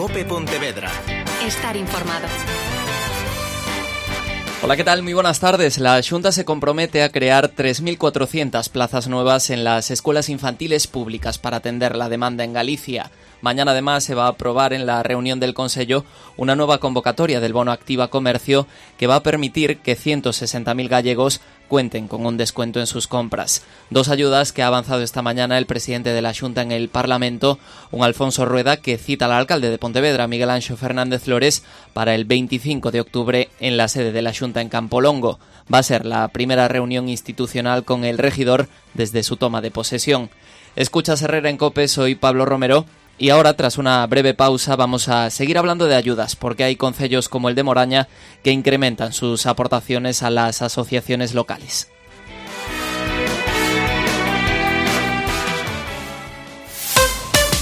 COPE Pontevedra. Estar informado. Hola, ¿qué tal? Muy buenas tardes. La Xunta se compromete a crear 3.400 plazas nuevas en las escuelas infantiles públicas para atender la demanda en Galicia. Mañana, además, se va a aprobar en la reunión del Consello una nueva convocatoria del Bono Activa Comercio que va a permitir que 160.000 gallegos cuenten con un descuento en sus compras. Dos ayudas que ha avanzado esta mañana el presidente de la Xunta en el Parlamento, un Alfonso Rueda que cita al alcalde de Pontevedra, Miguel Anxo Fernández Flores, para el 25 de octubre en la sede de la Xunta en Campolongo. Va a ser la primera reunión institucional con el regidor desde su toma de posesión. Escuchas Herrera en COPE, soy Pablo Romero. Y ahora, tras una breve pausa, vamos a seguir hablando de ayudas, porque hay concellos como el de Moraña que incrementan sus aportaciones a las asociaciones locales.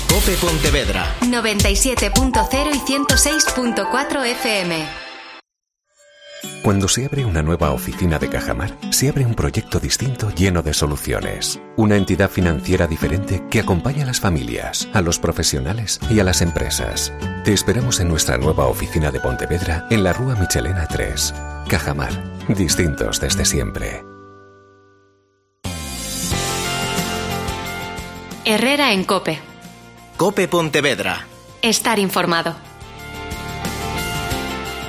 COPE Pontevedra 97.0 y 106.4 FM. Cuando se abre una nueva oficina de Cajamar, se abre un proyecto distinto lleno de soluciones. Una entidad financiera diferente que acompaña a las familias, a los profesionales y a las empresas. Te esperamos en nuestra nueva oficina de Pontevedra en la Rúa Michelena 3. Cajamar, distintos desde siempre. Herrera en COPE. COPE Pontevedra. Estar informado.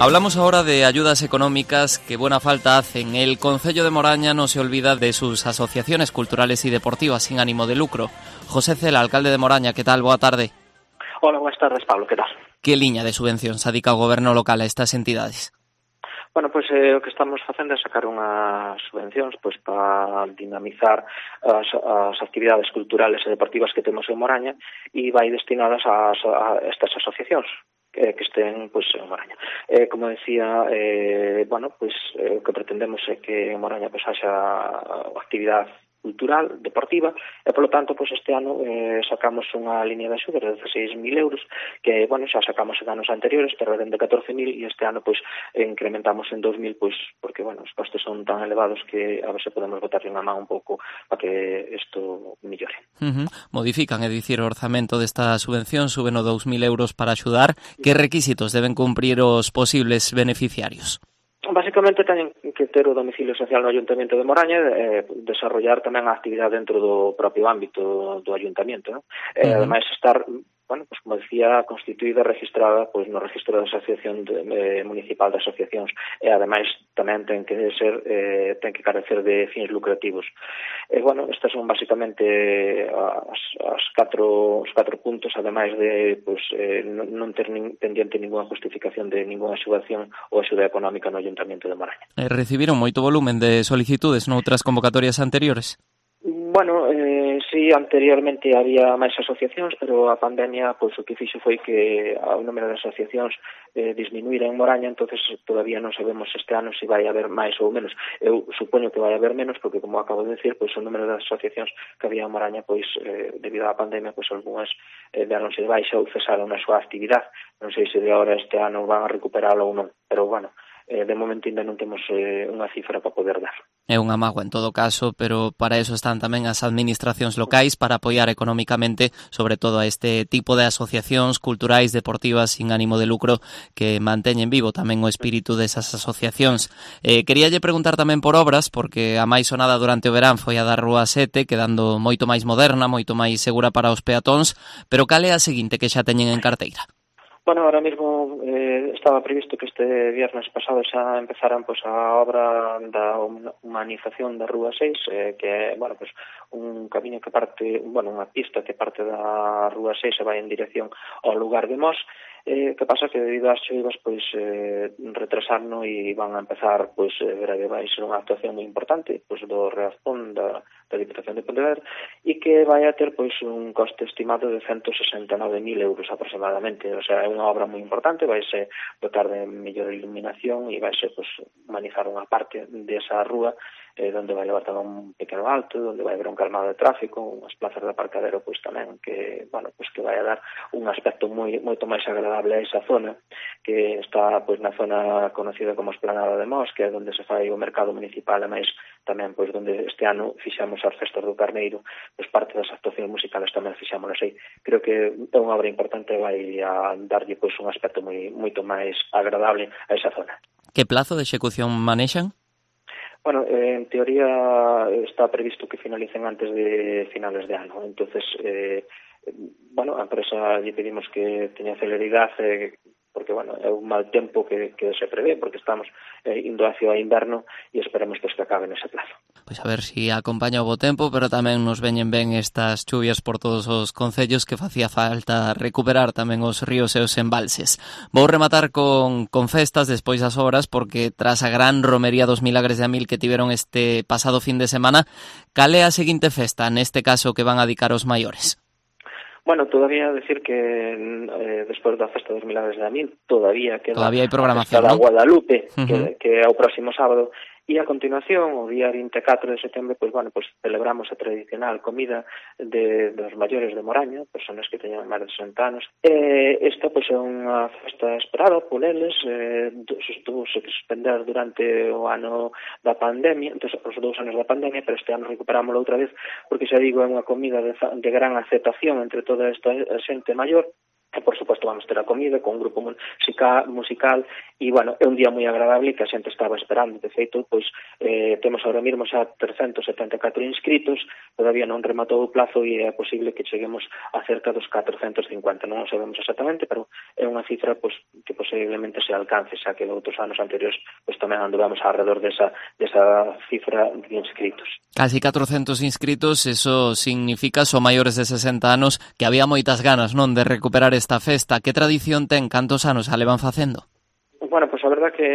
Hablamos ahora de ayudas económicas que buena falta hacen. El Concello de Moraña no se olvida de sus asociaciones culturales y deportivas sin ánimo de lucro. José Cela, alcalde de Moraña, ¿qué tal? Boa tarde. Hola, buenas tardes, Pablo, ¿qué tal? Que liña de subvención se adica o goberno local a estas entidades? Bueno, pois o que estamos facendo é sacar unhas subvencións pois para dinamizar as actividades culturales e deportivas que temos en Moraña e vai destinadas a estas asociacións que estén pois en Moraña. Como decía, bueno, pois o que pretendemos é que en Moraña pois haxa actividade cultural, deportiva, e polo tanto, pois este ano sacamos unha línea de axuda de 16.000 euros, que, bueno, xa sacamos en anos anteriores, pero eran de 14.000, e este ano, pois, incrementamos en 2.000, pois, porque, bueno, os costes son tan elevados que a ver se podemos botarle unha man un pouco para que isto millore. Modifican, é dicir, o orzamento desta subvención, suben o 2.000 euros para axudar. Que requisitos deben cumprir os posibles beneficiarios? Básicamente teñen que ter o domicilio social no Ayuntamento de Moraña e desarrollar tamén a actividade dentro do propio ámbito do Ayuntamento, non? Ademais estar, bueno, pues como decía, constituída e registrada pois no registro da Asociación Municipal de Asociacións e ademais tamén ten que carecer de fins lucrativos. Bueno, estas son basicamente os catro puntos, ademais de pois non ter pendiente ninguna justificación de ninguna axudación ou axuda económica no Ayuntamento de Moraña. Recibiron moito volumen de solicitudes noutras convocatorias anteriores? Bueno, sí, anteriormente había máis asociacións, pero a pandemia pois o que fixo foi que o número de asociacións disminuíra en Moraña, entonces todavía non sabemos este ano se vai haber máis ou menos. Eu supoño que vai haber menos, porque como acabo de decir, pois o número de asociacións que había en Moraña, pois debido á pandemia, pois algunhas deronse de baixa ou cesaron a súa actividade. Non sei se de agora este ano van a recuperalo ou non, pero bueno, de momento ainda non temos unha cifra para poder dar. É unha mágoa en todo caso, pero para eso están tamén as administracións locais para apoiar económicamente, sobre todo a este tipo de asociacións culturais, deportivas, sin ánimo de lucro, que manteñen vivo tamén o espírito desas asociacións. Queríalle preguntar tamén por obras, porque a máis sonada durante o verán foi a da Rúa 7, quedando moito máis moderna, moito máis segura para os peatóns, pero cal é a seguinte que xa teñen en carteira? Bueno, ahora mismo estaba previsto que este viernes pasado xa empezaran pois a obra da humanización da Rúa 6, que é, bueno, pois un camiño que parte, bueno, unha pista que parte da Rúa 6 e vai en dirección ao lugar de Mos. Que pasa que debido ás choivas pois retrasarno e van a empezar pois breve, vai ser unha actuación moi importante pois do Reazón da Diputación de Pontevedra e que vai a ter pois un coste estimado de 169.000 euros aproximadamente, o sea, é unha obra moi importante, vai ser dotar de mellor iluminación e vai ser pois humanizar unha parte desa rúa donde vai levar tamén un pequeno alto, donde vai haber un calmado de tráfico, unhas plazas de aparcadero pois tamén que, que vai a dar un aspecto moito máis agradable a esa zona, que está pois na zona conocida como Esplanada de Mos, que é onde se fai o mercado municipal, e máis tamén pois onde este ano fixamos as festas do Carneiro, pois parte das actuacións musicales tamén fixámolas aí. Creo que é unha obra importante, vai a darlle pois un aspecto moito máis agradable a esa zona. Que plazo de execución manexan? Bueno, en teoría está previsto que finalicen antes de finales de ano. Entonces, a empresa lle pedimos que teña celeridade, porque, é un mal tempo que se prevé, porque estamos indo hacia o inverno e esperemos que acabe nese plazo. Pois a ver si acompaña o bo tempo, pero tamén nos veñen ben estas chuvias por todos os concellos, que facía falta recuperar tamén os ríos e os embalses. Vou rematar con festas despois das obras, porque tras a gran romería dos Milagres de Amil que tiveron este pasado fin de semana, cal é a seguinte festa, neste caso que van a dedicar os maiores? Bueno, todavía decir que despois da festa dos Milagres de Amil todavía hai programación, a festa da Guadalupe, Uh-huh. que é o próximo sábado. E a continuación, o día 24 de setembro, pois celebramos a tradicional comida dos maiores de Moraña, personas que teñan máis de 60 anos. Esta pois é unha festa esperada por eles, estuvo se suspender durante o ano da pandemia, os 2 anos da pandemia, pero este ano recuperámoslo outra vez, porque xa digo, é unha comida de gran aceptación entre toda esta xente maior. E, por suposto, vamos ter a comida con un grupo musical e, é un día moi agradable que a xente estaba esperando. De feito, pois, temos ahora mesmo xa 374 inscritos, todavía non rematou o plazo e é posible que cheguemos a cerca dos 450. Non o sabemos exactamente, pero é unha cifra pois, que posiblemente se alcance, xa que outros anos anteriores pois, tamén anduvamos alrededor desa cifra de inscritos. Casi 400 inscritos, eso significa, son maiores de 60 anos, que había moitas ganas, non, de recuperar esta festa. Que tradición ten? Cantos anos a levan facendo? Bueno, pois a verdad que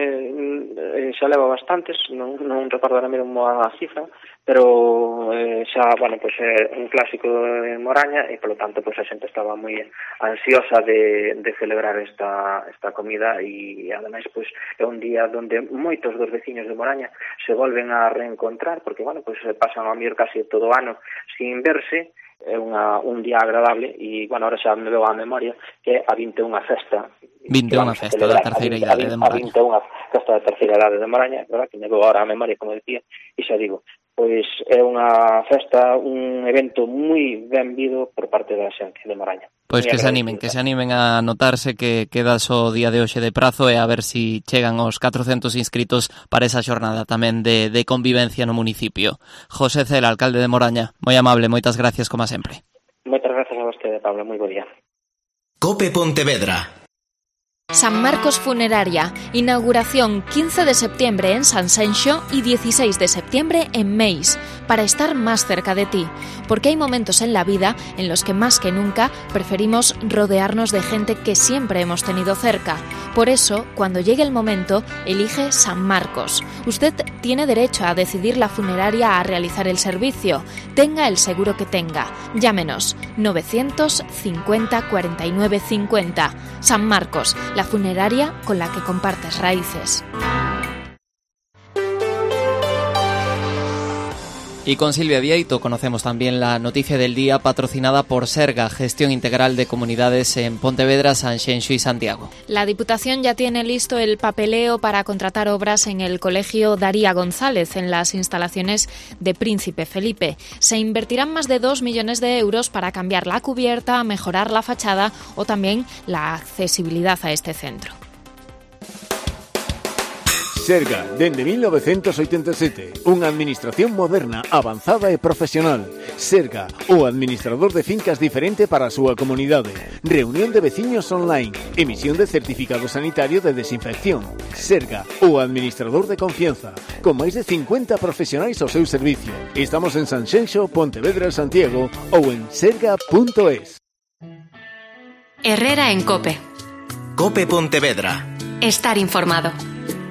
xa leva bastantes, non recordo ahora mesmo a cifra, pero xa, pois é un clásico de Moraña e, polo tanto, pois a xente estaba moi ansiosa de celebrar esta comida e, ademais, pois é un día onde moitos dos veciños de Moraña se volven a reencontrar, porque, pois pasan a mellor casi todo o ano sin verse. É un día agradable e, ahora xa me veo á memoria que é a 21 festa. 21 festa da terceira idade de Moraña. A 21 festa da terceira idade de Moraña, verdad, que me veo agora á memoria, como dicía, e xa digo, pois é unha festa, un evento moi ben vido por parte da xente de Moraña. Pois que se animen a notarse que queda só o día de hoxe de prazo e a ver si chegan os 400 inscritos para esa xornada tamén de convivencia no municipio. José Cela, alcalde de Moraña, moi amable, moitas gracias como sempre. Moitas gracias a vostede, Pablo, moi bo día. COPE Pontevedra. San Marcos Funeraria, inauguración 15 de septiembre en Sanxenxo y 16 de septiembre en Meis, para estar más cerca de ti, porque hay momentos en la vida en los que más que nunca preferimos rodearnos de gente que siempre hemos tenido cerca. Por eso, cuando llegue el momento, elige San Marcos. Usted tiene derecho a decidir la funeraria a realizar el servicio, tenga el seguro que tenga. Llámenos 950 49 50. San Marcos, la funeraria con la que compartes raíces. Y con Silvia Vieito conocemos también la noticia del día patrocinada por Serga, Gestión Integral de Comunidades en Pontevedra, Sanxenxo y Santiago. La Diputación ya tiene listo el papeleo para contratar obras en el Colegio Daría González, en las instalaciones de Príncipe Felipe. Se invertirán más de 2 millones de euros para cambiar la cubierta, mejorar la fachada o también la accesibilidad a este centro. Serga, dende 1987, unha administración moderna, avanzada e profesional. Serga, o administrador de fincas diferente para a súa comunidade. Reunión de veciños online, emisión de certificado sanitario de desinfección. Serga, o administrador de confianza, con máis de 50 profesionais ao seu servicio. Estamos en Sanxenxo, Pontevedra, Santiago ou en serga.es. Herrera en COPE. COPE Pontevedra. Estar informado.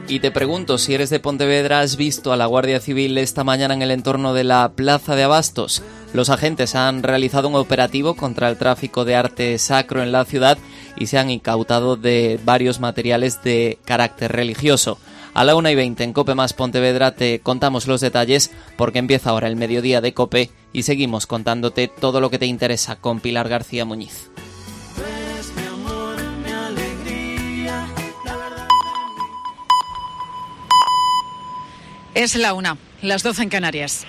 Y te pregunto, si eres de Pontevedra, ¿has visto a la Guardia Civil esta mañana en el entorno de la Plaza de Abastos? Los agentes han realizado un operativo contra el tráfico de arte sacro en la ciudad y se han incautado de varios materiales de carácter religioso. A la 1:20 en COPE más Pontevedra te contamos los detalles porque empieza ahora el mediodía de COPE y seguimos contándote todo lo que te interesa con Pilar García Muñiz. Es la 1, las 12 en Canarias.